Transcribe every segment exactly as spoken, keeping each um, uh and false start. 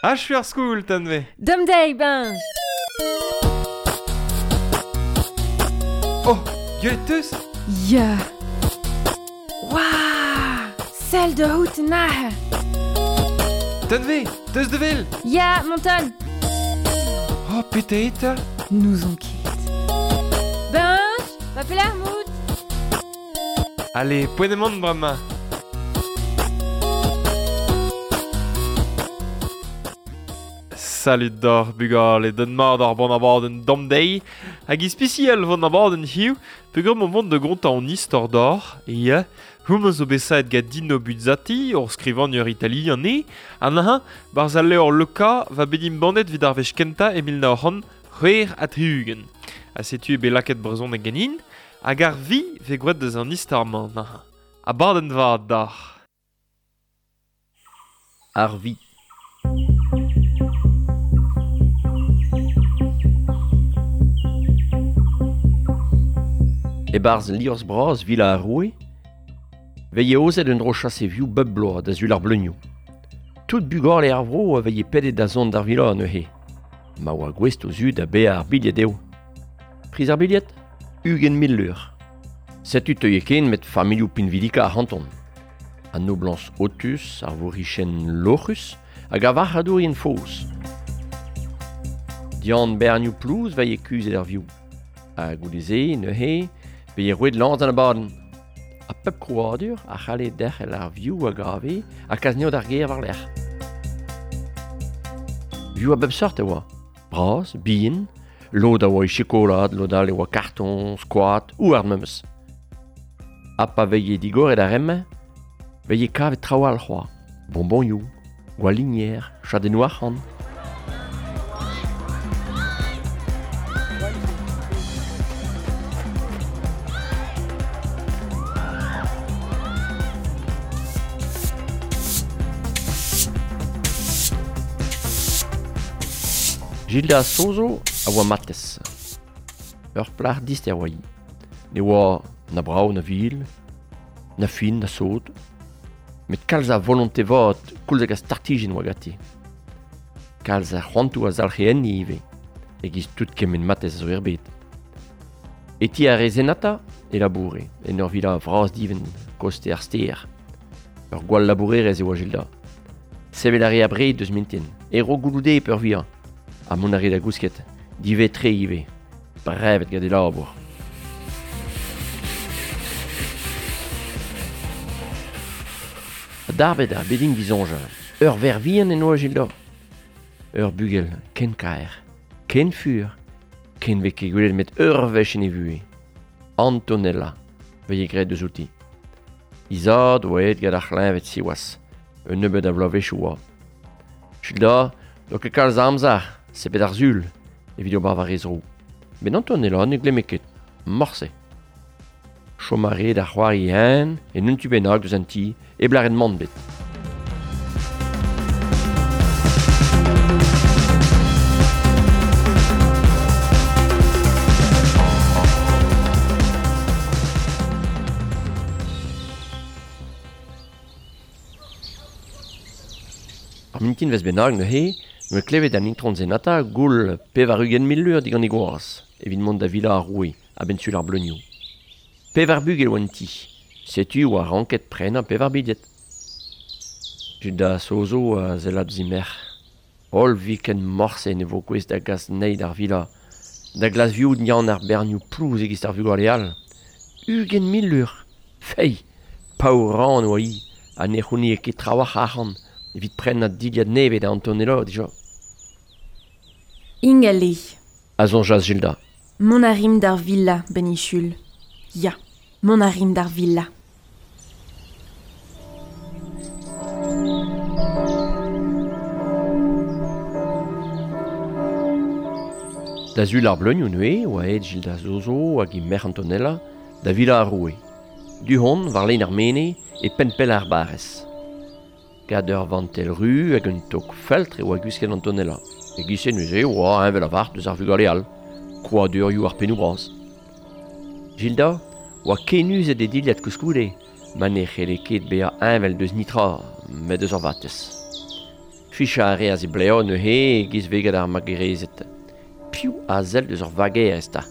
Achu ar skol, Tanve. Dom deiz, Benj. Oh, gwelet teus? Ya. Waouh! Sell da out nahe. Tanve, teus de vel? Ya, monton. Oh, pete eta? N'ouzon ket. Benj, va pelec'h mout? Allez, poent emaon bremañ. Salut d'or bugale, den mat ar bon abadenn dam deiz, hag ispisial von abadenn hiziv, peogwir m'on vont de gontañ an istor d'or, e ya, houmañ zo bet saet gant Dino Buzzati, ur skrivagner italian eo, ha neuze, barzh al levr Leuka va bet embannet evit ar wech kentañ e mil nav c'hant c'hwec'h ha tri-ugent. Ha setu eo bet lakaet brezhoneg ganin, hag ar vi vez gwraet deus an istor-mañ neuze. Abadenn vat d'ar. Ar vi. E-barzh liorzh bras Villa ar Roue, veie ozet un dro chase vioù bep bloaz da sul ar bleunioù. Tout bugale ar vro a veie pedet da zont d'ar villa neuze. Ma oa gouest o zud da baeañ ar bilhed eo. Priz ar bilhed? Ugent mil lur. Setu teuie ken met familhoù pinvidika ar c'hanton. An noblañs otus, ar vourichenn loc'hus hag ar varc'hadourien faos. Dian bernioù plouz veie kuzhet ar vioù. Ha goude-se neuze, veie roet lañs d'an abadenn. Ha pep krouadur a c'halle derc'hel ar vioù a gave ha kas anezho d'ar gêr war-lerc'h. Vioù a bep seurt e oa. Bras, bihan, lod a oa e chokolad, lod all e oa karton, skoat, houarn memes. Ha pa veie digoret ar re-mañ, veie kavet traoù all c'hoazh. Bonbonioù, gwalinier, chadennoù arc'hant. Gilda Sozo a oa matez. Ur plac'h dister oa hi. Ne oa na brav na vil, na fin na sot, met kalz a volonte vat koulz hag a startijenn oa ganti. Kalz a c'hoantoù a zalc'he enni ivez, e-giz tout kement matez a zo er bed. E ti ar re Zenata e laboure, en ur villa vras divent, koste ar stêr. Ur gwall labourerez e oa Gilda. Sevel a re abred deus mintin, e ro gouloude peurvuiañ. Ha mont a re da gousket, divet-tre ivez, brevet gant e labour. Darbet ar bedin disoñjal, ur verc'h vihan en oa Gilda. Ur bugel ken kaer, ken fur, ken vez ket gwelet met ur wech en e vuhez. Antonella, veie graet deus outi. He zad oa aet gant ar c'hleñved siwazh, un nebeud a vloavezhioù oa. Gilda n'oa ket kalz a amzer, sebet ar sul, evit ober war he zro. Met Antonella ne glemme ket, morse. Chom a re da c'hoari hen, en un tu bennak deus an ti, e blaren mann bet. Ar mintin vez bennak neuze, noa klevet an intron Zenata goul pevar ugent mil lur digant e gwaz, evit mont da villa ar roue, a-benn sul ar bleunioù. Pevar bugel oa en ti, setu oa ranket prenañ pevar bilhed. Gilda Sozo a sellad ouzh he merc'h. Holl viken morse ne vo gouest da gas anezhi d'ar villa, da glas vioù dian ar bernioù plouz e-giz ar vugale all. Ugent mil lur, fei, paour-ran oa hi, ha ne c'hounie ket trawalc'h arc'hant evit prenañ dilhad nevez da Antonella dija. Ingal eo. A soñjas Gilda. Mont a rimp d'ar villa, Benichul. Ya, mont a rimp d'ar villa. Da sul ar bleunioù neuze, oa aet Gilda Sozo hag he merc'h Antonella da villa ar roue. Du-hont, war lein ar mene, e penn-pell ar barrez. Gant ur vantell ru hag un tok feltr e oa gwisket Antonella. E-giz-se neuze oa heñvel a-vart deus ar vugale all, krouadurioù ar pennoù bras. Gilda oa kenuzet e dilhad koulskoude, ma ne c'helle ket bezañ heñvel deus nitra, met deus ur vatez. Ficha a reas e bleo neuze giz veget ar magerezet. Piv a sell deus ur vagerez ta.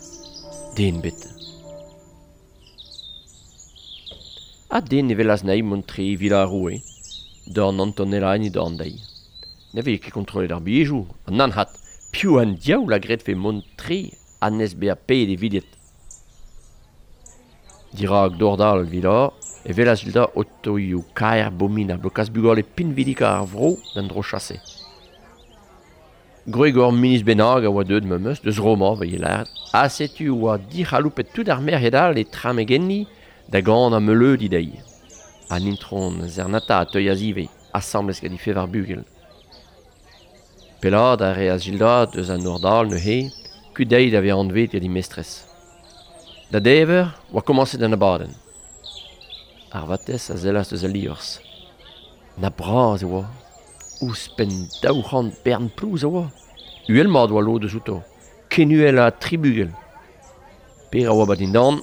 Den bet. Ha den ne velas na'i mont tre vila ar roue. Dorn Antonella en dorn dezhi. Ne vez ket kontrollet ar bilhejoù, an anhat. Piv an diaoul a gredfe mont tre anez bezañ paeet e vilhed. Dirak dordal vila, e velas Gilda otoioù kaer bomin a blokaz bugale pinvidika ar vro d'an dro chase. Gwreg ur ministr bennak a oa deuet memes, deus Roma, va lâret, ha setu oa dic'haloupet tout ar merc'hed all e tramegenni da gant ar meuleudi dezhi. An intron Zernata a teuas ivez, asambles gant he fevar bugel. Pellaat a reas Gilda deus an nor-dal neuze, kuit dezhi da vezañ anvet gant he mestrez. Da dever oa komañset an abadenn. Ar vatez a sellas deus al liorzh. Na bras e oa. Ouzhpenn daou c'hant bern plouz a oa. Uhel mat oa lod eus outo. Ken uhel ha tri bugel. Per a oa bat dindan,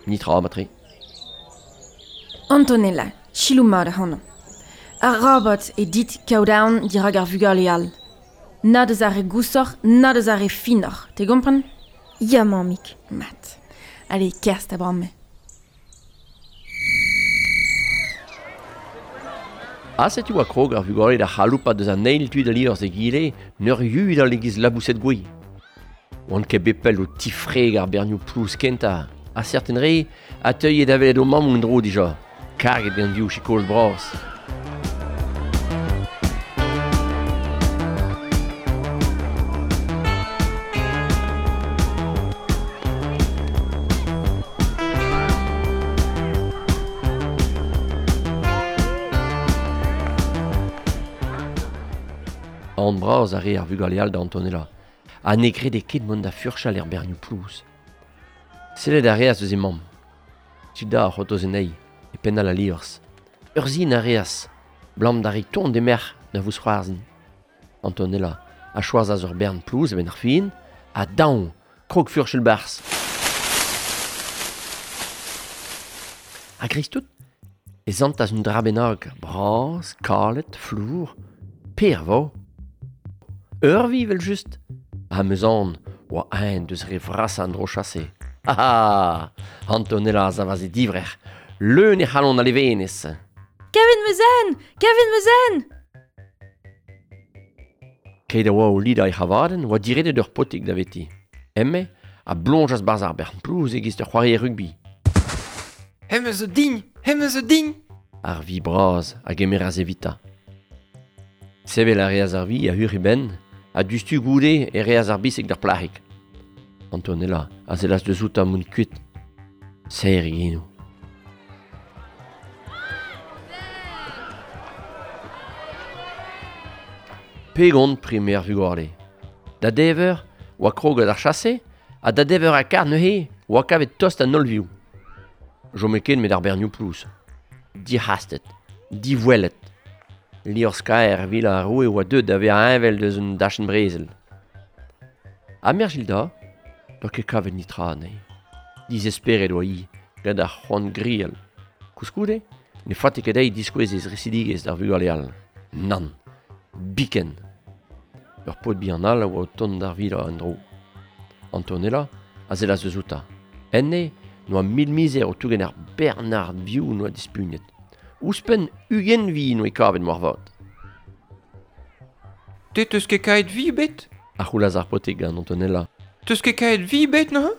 nitra matre. Antonella, selaou mat ac'hanon. Ar rabat e dit kaout aon dirak ar vugale all. Na deus ar re gousoc'h, na deus ar re finoc'h, te gompren? Ya, mammig. Mat. Allez, kerzh da bramme. Ha setu oa krog ar vugale da c'haloupat deus an eil tu da liorzh egile, n'ur yudal e-giz laboused gouez. Oant ket bet pell o tifreg ar bernioù plouz kentañ, ha serten re a teuie da welet o mammoù en-dro dija, karget gant vioù chikoz bras. An bras a re ar vugale all da Antonella, ha ne grede ket mont da furchal er bernioù plouz. Sellet a reas eus he mamm. Gilda a c'hortoz anezhi, e penn all al liorzh. Ur sin a reas, blam da reiñ ton d'he merc'h da vousc'hoarzhin. Antonella a choazas ur bern plouz a-benn ar fin, ha daon, krog furchal barzh. A-greiz-tout, e santas un dra bennak, bras, kalet, flour, per vo. Ur vi, vel just. Ha meus an, oa ein deus re vrasañ an dro chase. Ah ah! Antonella a zavas e divrec'h, leun e c'halon a levenez. Kavet 'm eus en! Kavet 'm eus en! Keit a oa o lidañ e c'havadenn oa diredet ur potig daveti. Emme a bloñjas barzh ar bern plouz e-giz ur c'hoarier rugby. Hemañ zo din! Hemañ zo din! Ar vi bras a gemeras evitañ. Sevel a reas ar vi a hur e benn, ha diouzhtu goude e reas ar bisig d'ar plac'hig. Antonella a sellas deus outañ mont kuit. Serr e genoù. Pegont primer vugale. Da dever oa kroget ar chase, ha da dever ha kar neuze oa kavet tost an holl vioù. Chome ken met ar bernioù plouz. Dic'hastet, divoellet. Liorzh kaer vila ar roue oa deuet da vezañ heñvel deus un dachenn brezel. Ha merc'h Gilda, doa ket kavet nitra anezhi. Dizesperet oa hi, gant ar c'hoant grial. Koulskoude, ne faote ket dezhi diskouez he zresidigezh d'ar vugale all. Nann, biken. Ur paotr bihan all a oa o tont d'ar vila en-dro. Antonella a sellas eus outañ. Enne n'oa mil mizer o tougen ar Bernard vioù n'oa dispugnet. Ouzhpenn ugent vi n'oa kavet moarvat. Te teus ket kaet vi bet? A c'houlas ar paotrig gant Antonella. Teus ket kaet vi bet neuze?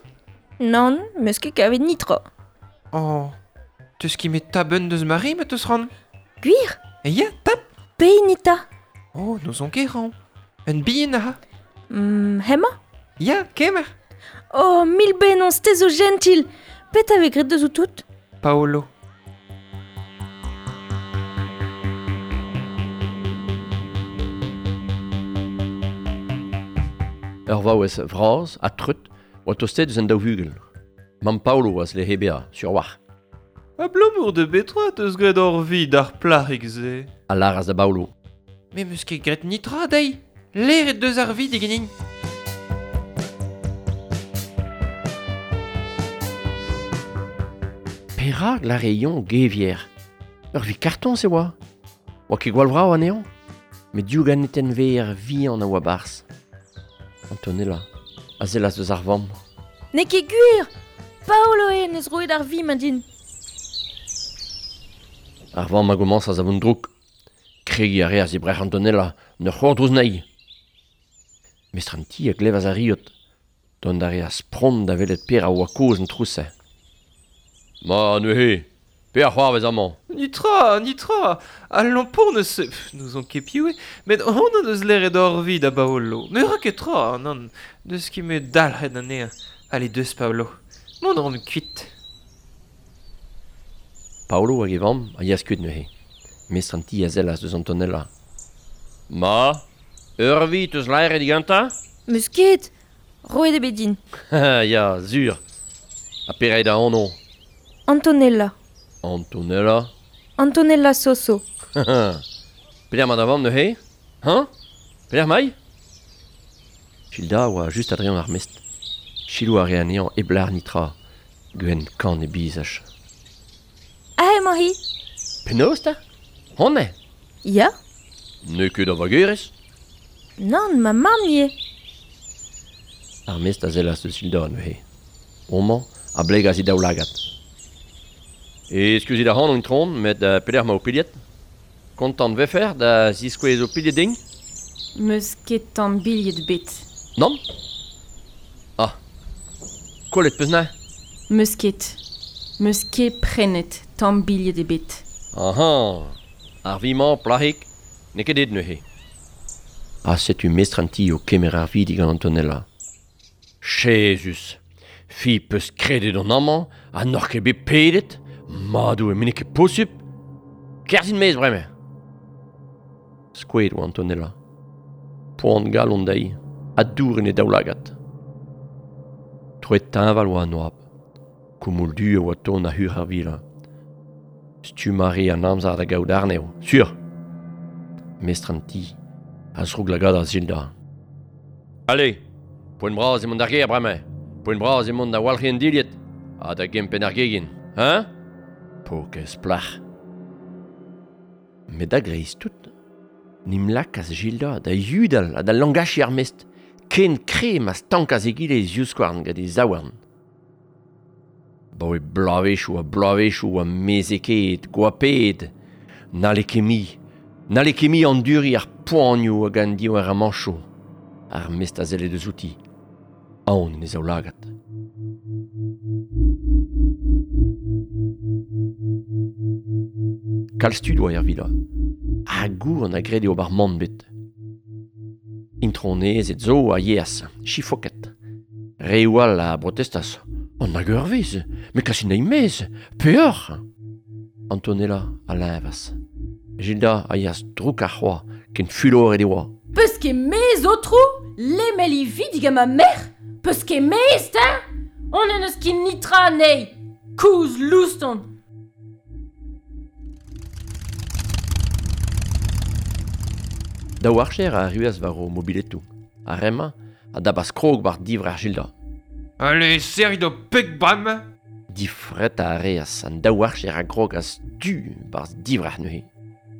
Nann, 'meus ket kavet nitra. Oh, teus ket met tabenn deus Marie ma teus ran? Gwir? E ya, tap! Pehini 'ta? Oh, n'ouzon ket ran. Un bihan aha. Mm, hemañ? Ya, kemer. Oh, mil bennozh, te zo gentil. Petra vez graet deus outout? Paolo. Ur vaouez vras ha treut oa tostet eus an daou vugel. Mamm Paolo a zle he bezañ, sur war. Abalamour da betra teus graet ur vi d'ar plac'hig-se? A lâras da Baolo. Me 'meus ket graet nitra dezhi. Leret deus ar vi diganin. Perak lâre-eñ gevier? Ur vi kartoñs e oa. Oa ket gwall vrav anezhañ. Met div ganeten ver vihan a oa barzh. Antonella a sellas deus ar vamm. N'eo ket gwir! Paolo eo neus roet ar vi ma din. Ar vamm a gomañsas a vont drouk. Kregiñ a reas e brec'h Antonella, n'ur c'hordrouz anezhi. Mestr an ti a glevas ar riot. Dont a reas pront da welet per a oa kozh an trouz-se. Ma neuze, pe ar c'hoarvez amañ. Nitra, nitra, al lampon ne se... N'ouzon ket piv eo, met hon an eus leret hor vi da Paolo. Ne ra ket tra, nann, deus ket me dalc'het anezhañ. Allez deus Paolo, mont a ran kuit. Paolo hag e vamm a yeas kuit neuze. Mestr an ti a sellas deus Antonella. Ma, ur vi teus laeret digantañ? Meus ket, roet eo bet din. Ya, sur. Ha pere da anv? Antonella. Antonella. Antonella Soso. Pelec'h emañ da vamm neuze? Hein? Pelec'h emañ? Gilda a oa just a-dreñv ar mestr. Selaou a rae anezhañ hep lâr nitra, gwenn kann e bizaj. Aze emañ-hi. Penaos 'ta? Honnezh? Ya. N'eo ket da vagerez? Nann, ma mamm ivez. Ar mestr a sellas deus Gilda neuze. Homañ a blegas he daoulagad. Eskuzit ac'hanon itron, met uh, pelec'h emañ ho pilhed? Kontant vefer da ziskouez ho pilhed din? Meus ket tamm bilhed bet. Nann? Ah, kollet peus neuze? Meus ket. Meus ket prenet tamm bilhed ebet. Aha, ar vi-mañ plac'hig, n'eo ket dit neuze. Ha setu mestr an ti o kemer ar vi digant Antonella. Jezus, fi peus kredet on amañ ha n'oc'h ket bet pedet? Madoù, met n'eo ket posupl. Kerzhin maez bremañ. Skoet oa Antonella. Poan galon dezhi, ha dour en he daoulagad. Troet teñval oa an oabl. Koumoul du a oa ton a-hur ar vila. Stumm a re an amzer da gaout arnev, sur. Mestr an ti a zroug-lagadas Gilda. Allez, poent bras emaon d'ar gêr bremañ. Poent bras emaon da walc'hiñ an dilhad ha da gempenn ar gegin, hein? Paourkaezh plac'h. Met a-greiz-tout, n'em lakaas Gilda da yudal ha da langachiñ ar mestr, ken kre ma stankas egile e zivskouarn gant e zaouarn. Baoe bloavezhioù ha bloavezhioù a mezekaet, goapaet, n'halle ket mui, n'halle ket mui anduriñ ar poanioù hag an diouer-amañchoù. Ar mestr a selle deus outi, aon en e zaoulagad. Kalz tud oa er vila. Ha gour an a grede ober mann bet. Intronezed zo a yeas, chifoket. Reoù all a brotestas. An hag ur wezh, met kasit anezhi maez, peoc'h! Antonella a leñvas. Gilda a yeas drouk ar c'hoaz, ken fuloret e oa. Peus ket mezh, aotrou? Lemel he vi digant ma merc'h? Peus ket mezh, 'ta? On n'en eus ket nitra anezhi. Kouzh louston. Daou archer a arruas war o mobiletoù. Ar re-mañ a dabas krog war divrec'h Gilda. Allez, serrit ho peg bremañ! Difret a reas an daou archer a grogas du barzh divrec'h neuze.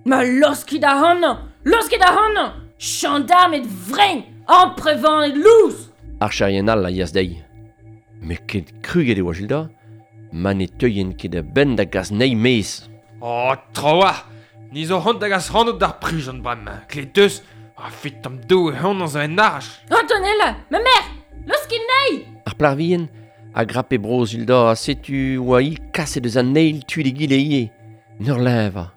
Ma laoskit ac'hanañ! Laoskit ac'hanañ! Gendarmed vrein! Amprevaned lous! Archerien all a yeas dezhi. Met ket kruget e oa Gilda, ma ne teuien ket a-benn da gas anezhi maez. Oh, trawalc'h! Ni zo c'hoant da gas ac'hanout d'ar prizon bremañ. Klet deus, a fit tamm doue hon zo en arch. Antonella, ma merc'h! Laoskit anezhi! Ar plac'h vihan a grape bro Gilda ha setu oa hi kaset eus an eil tu d'egile ivez, n'ur leñvañ.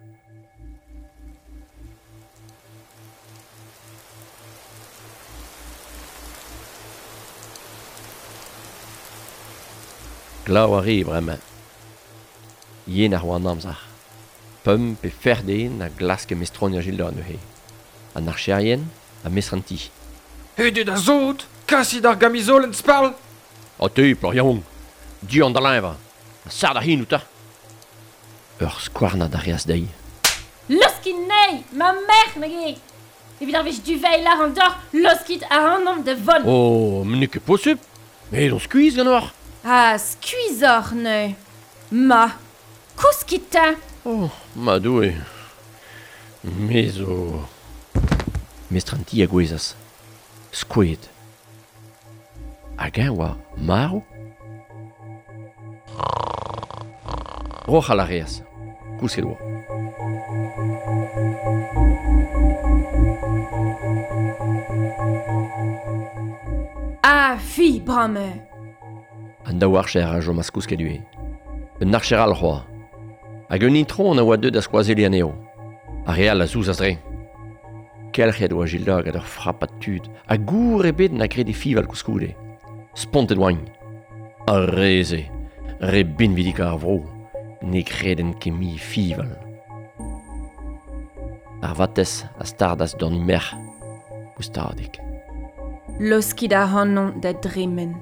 Glav a re bremañ. Yen ar oa an amzer. Pemp pe fer den a glaske mestroniañ Gilda neuze. An archerien a mestr an ti. Hudet da zot! Kasit ar gamizolenn sparl! Ha te, plac'h yaouank, du an da leñvañ. Ha sard ar hin out Ur skouarnad a reas dezhi. Laoskit anezhi, ma merc'h, nag eo! Evit ar wech duveil ar an deoc'h, laoskit ac'hanomp da vont. Oh, met n'eo ket posupl! Met on skuizh ganeoc'h! Ah, skuizhoc'h neuze. Ma, kouskit 'ta! Oh, ma Doue. Me zo... Mestr an ti a gouezas. Skoet. Hag eñ oa marv? Roc'hal a reas. Kousket oa. Ah, fi, brame! An daou archer a chomas kousket ivez. Un archer all c'hoazh. Hag un itron a oa deuet da skoazelliñ anezho. Ar re all a zouzas dre. Kelc'hiet oa Gilda gant ur frapad tud, ha gour ebet na grede fival koulskoude. Spontet oaint. Ar re-se, re binvidik ar vro, ne greden ket mui fival. Ar vatez a stardas dorn he merc'h, goustadik. Laoskit ac'hanon da dremen.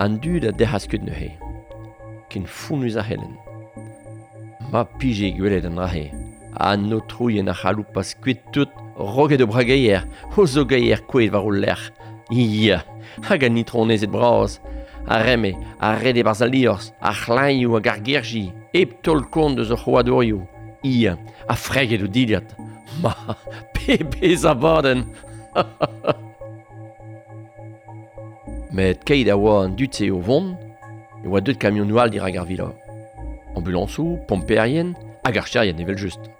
An dud a dec'has kuit neuze, ken fonnus a c'hellen. Ma pije gwelet an dra-se, an aotrouien a c'haloupas kuit tout roget o brageier, o zogeier kouezhet war o lerc'h. Ia, hag an itronezed bras, ar reme, ar rede barzh al liorzh, ar c'hlañioù hag ar gerji, hep taol kont eus o c'hoadorioù. Ia, ha freget o dilhad. Ma, pebezh abadenn. Met keit a oa an dud-se o vont, e oa deuet kamionoù all dirak ar vila. Ambulansoù, pomperien hag archerien evel-just.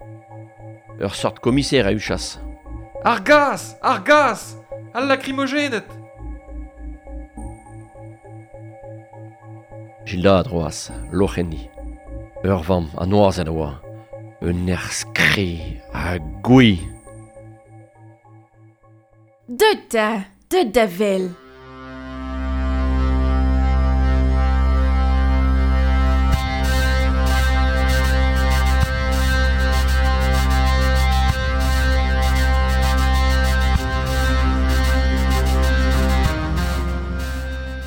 Ur sort komiser a huchas. Ar gaz! Ar gaz! Al lakrimogenet! Gilda a droas, loc'h enni. Ur vamm a noazet a oa. Un nerzh kre ha gouez. Deut da! Deut da wel!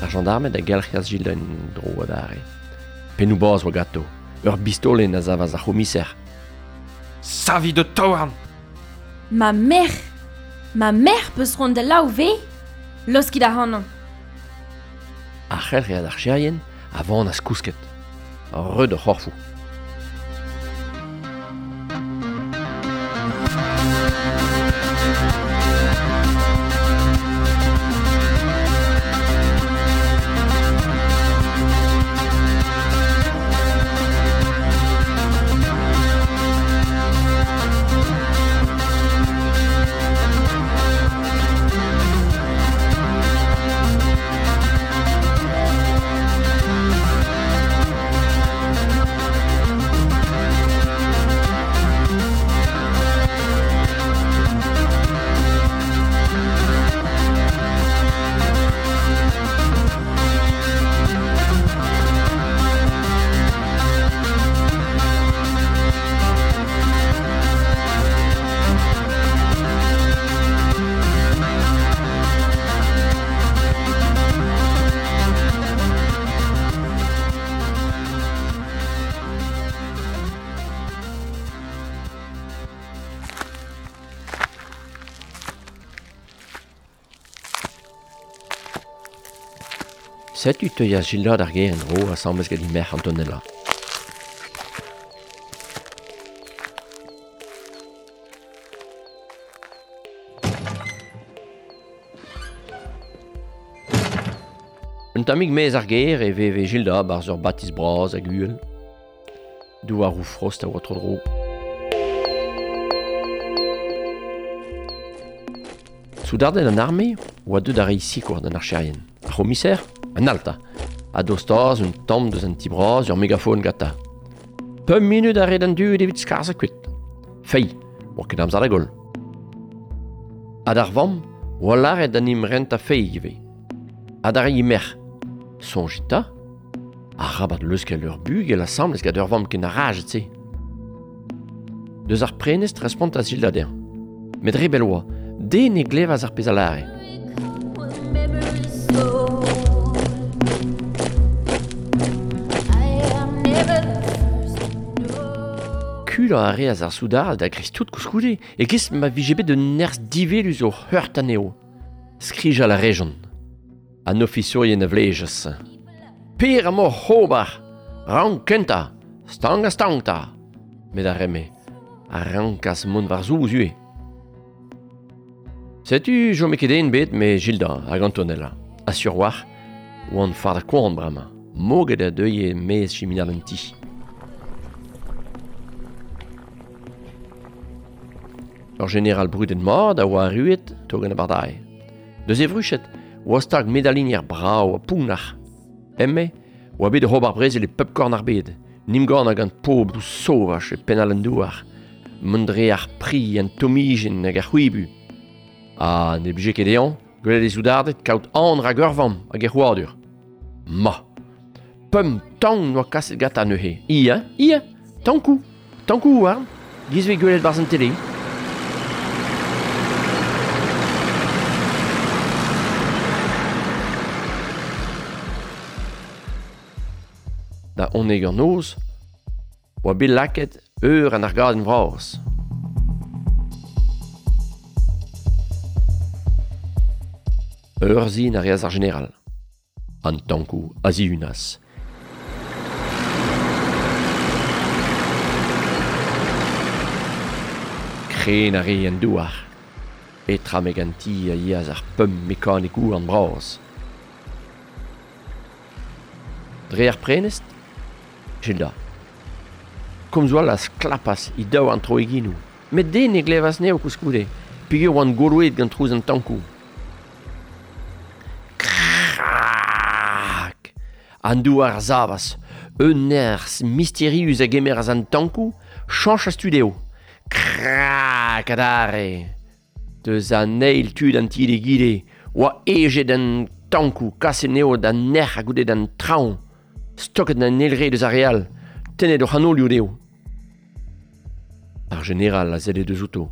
Ar gendarmed a gelc'hias Gilda en dro adarre. Pennoù bras oa ganto. Ur bistolenn a savas ar c'homiser. Savit ho taouarn! Ma merc'h! Ma merc'h peus c'hoant da laou ve? Laoskit ac'hanon. Ar c'helc'hiad archerien a vanas kousket. Reut o c'horfoù. Setu teuas Gilda d'ar gêr en-dro asambles gant he merc'h Antonella. Un tammig maez ar gêr e veve Gilda barzh ur batis bras hag uhel. Douaroù frost a oa tro-dro. Soudarded an arme oa deuet da reiñ sikour d'an archerien. Ar c'homiser, an alta, a dostaas un tamm deus an ti bras ur megafon gantañ. Pemp minut a red an dud evit skarzhañ kuit. Fei, oa ket amzer da goll. Ha d'ar vamm, oa lâret an em rentañ fei ivez. Ha d'ar he merc'h. Soñjit 'ta, arabat leuskel ur bugel asambles gant ur vamm ken arajet-se. Deus ar prenestr respontas Gilda dezhañ. Met re bell oa, den ne glevas ar pezh a lâre. Kulañ a reas ar soudard da greiz tout koulskoude, e-giz ma vije bet un nerzh divelus o heurt anezho. Skrijal a rejont. An ofisourien a vlejas. Per emañ oc'h ober! Rank kentañ! Stank ha stank 'ta! Met ar re-me a rankas mont war-zouz ivez. Setu jome ket den bet me Gilda hag Antonella. A sur war, oan far da koan brama. Moget a deuye mez chiminal an ti. Ur general bruden mad a oa arruet tog an abardai. Deus e vruchet, oa stag medalinier brao a pounach. Emme, oa bet rob ar brezel e pep korn ar bed. Nim gorn hag an pobl sauvach e penal an douar. Mont dre ar pri an tomijen hag ar c'hwibu. Ha ne blije ket ean, gwelet e zoudardet kaout an rag ur vamm hag e c'houardur. Ma! Pemp tank noa kaset gata neuze. Ia, ia, tankou, tankou oarn, giz ve gwelet barz an tele. Da oneg an noz, oa bet laket eur an argadenn vras. Eur zin a reas ar general. An tankou a zihunas. Kren a re an douar. Petra meg an ti a yeas ar pemp mekanikou an bras. Dre ar prenest, Gilda. Komz oa las klapas i daou an tro eginou. Met den e glevas neo koulskoude, peogwir oan goloet gant trouz an tankou. Krak! An douar a zavas, un nerzh misterius a gemeras an tankou, chañch a studio. Krak adarre! Deus an eil tud an ti d'egile, oa ejet an tankou, kaset neo d'an nec'h a goude d'an traoñ. Stoket an elre deus ar real, tenet o c'hanolioù dezho. Ar general a zelle deus outo.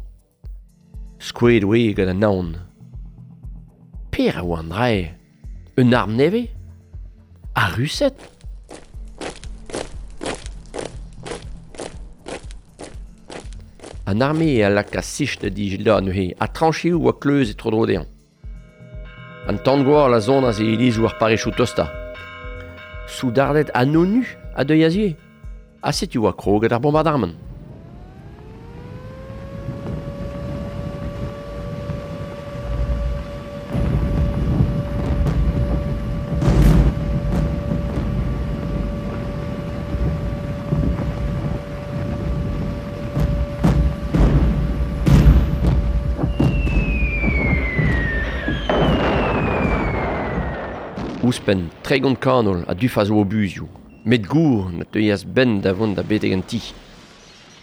Skoet oe gant an aon. Per a oa an drae? Un arm nevez? Ar Rused? An arme a laka sich da di Gilda neuze, ha trancheoù oa kleuz e tro-dro dezhañ. An tan-gwall a zonaz e ilizoù ar parechou tosta. Soudardet anonu a deuiñ azie. Ha setu oa kroget ar bombardamant. Ouzhpenn tregont kanol a dufas o obuzioù. Met gour na teuias ben da vont da betek an ti.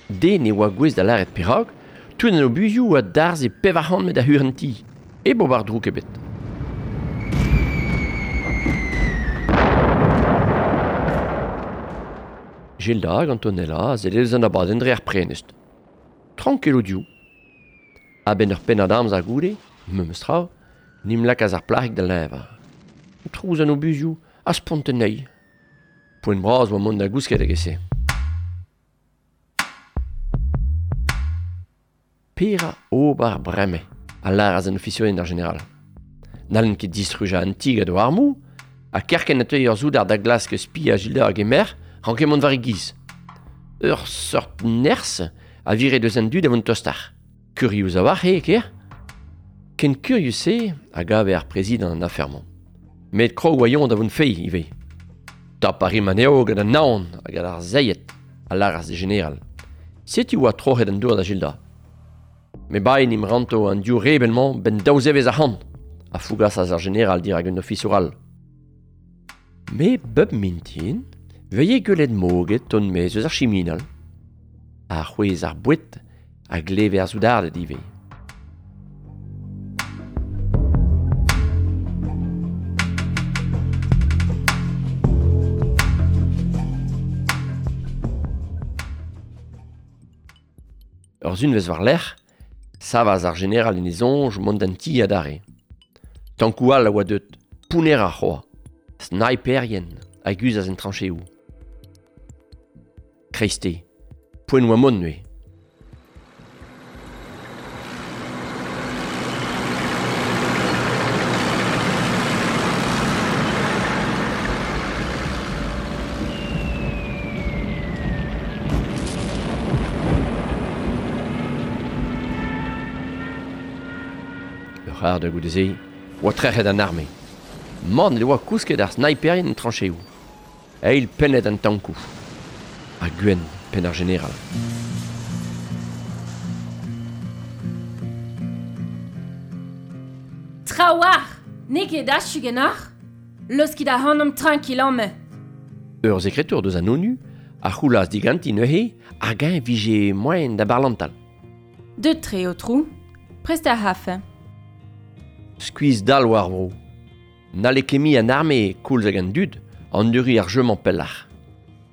Den e oa gouez da lâret perak, tout an obuzioù a darzh e pevar c'hant met a hur an ti. E bo war drouk ebet. Gilda hag Antonella a zelle eus an abadenn dre ar prenest. Tranquil o diou. A-benn ur pennad amzer goude, memes tra, nim lakaas ar plac'hig da leñvañ. Trouz an obuzioù a spont anezhi. Poent bras oa mont da gousket hag e-se. Pera ober bremañ, a lâras an ofisourien d'ar general. N'hallen ket distrujañ an ti gant o armoù, ha kerkent a teuy ur soudard da glask spi a Gilda hag e merc'h, ranke mont war e giz. Ur seurt nerzh a vire deus an dud a vont tostar. Kurius a-walc'h eo, ker? Ken kurius-se a gave ar prezidant an afer-mañ. Met krog oa da vont feiz ivez. Tap a rim anezho gant an naon hag ar zeiet, a lâras e general. Setu oa troc'het an dour da Gilda. Me baen im ranto an div rebel-mañ ben daou zevezh ac'hann, a fougasas ar general dirak un ofisour all. Me bep mintin, veie gwelet moget ton mez eus ar chiminal. Ar c'hwezh ar boued a gleve ar soudarded ivez. Ur zunvez war-lerc'h, savas ar general en e soñj mont d'an ti adarre. Tankou all a oa deut, pounner ar c'hoa, sniperien a guzhas en trancheoù. Kreiste, poent oa mont neuze. Ur c'har da goude-se, oa trec'het an arme. Man e oa kousket ar sniperien en trancheoù. Eil pennet an tankoù. Ha gwenn penn ar general. Trawar! N'eo ket achu genoc'h? Leuskit ac'hanomp tranquil amañ. Ur sekretour deus an ONU a c'houlaz diganti neuze hag eñ vije moaien da barlantal. Deut tre, aotrou. Prest ar c'hafe. Skuizh dall war vro. N'halle ket mui an arme koulz hag an dud an duri ar jeu-mañ pelloc'h.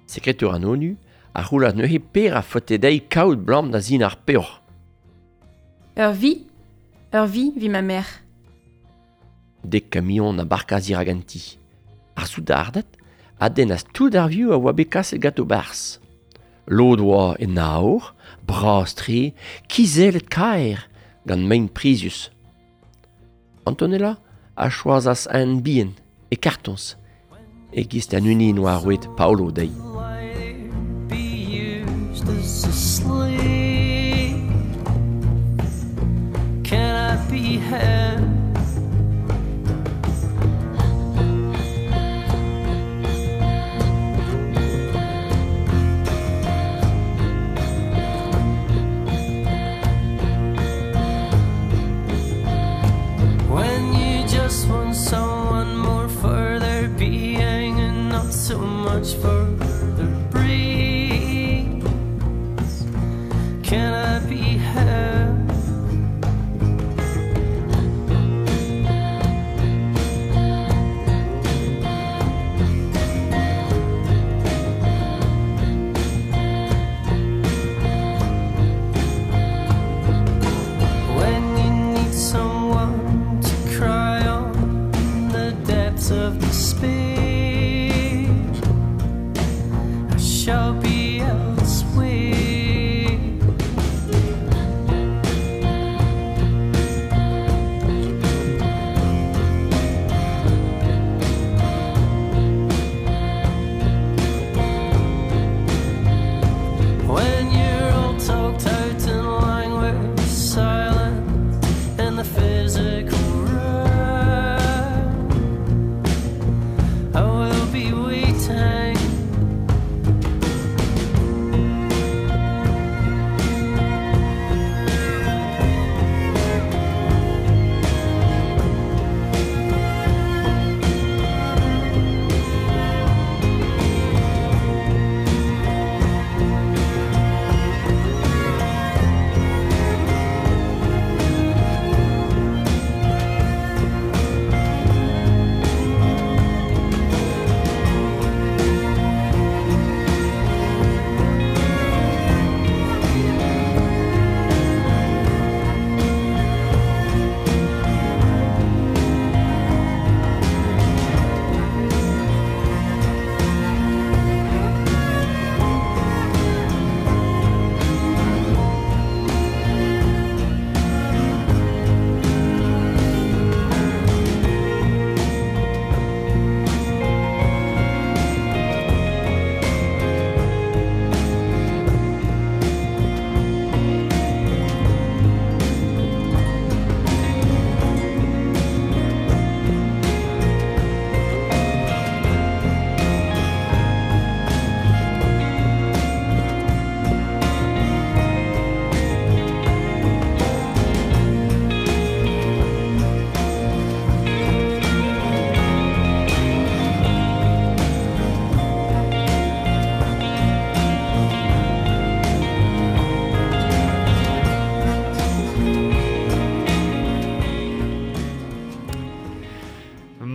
Sekretour an ONU a c'houlaz neuze per a faote dezhi kaout blam da zin ar peoc'h. Ur vi, ur vi vi ma merc'h. Dek kamion a barkaz dirak an ti. Ar soudarded a dennas tout ar vioù a oa bet kaset ganto barzh. Lod oa en aour, bras-tre, kizellet kaer, gant mein prizius. Antonella a choazas un bihan e kartoñs, e-giz an hini oa roet Paolo dezhi. Can I be him? When you just want someone more for their being and not so much for their breeze, can I be him? When you need someone to cry on the depths of despair, I shall be elsewhere. When you're all talked out in language, silent in the physical realm, I will be waiting.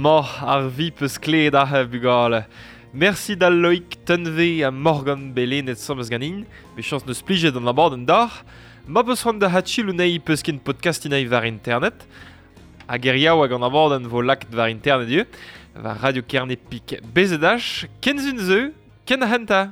Ma ar vi peus kleet ar bugale. Merci da Loïc Tunve ha Morgan Belenet sommez ganin, me chans neus plijet an abadenn d'ar. Ma peus c'hoant da hatchil unei peus ken podcast inei war internet. Hag er yaou hag an abadenn vo lakt war internet eo, war Radio Kerne Pik B Z H, ken zun zeu, ken henta.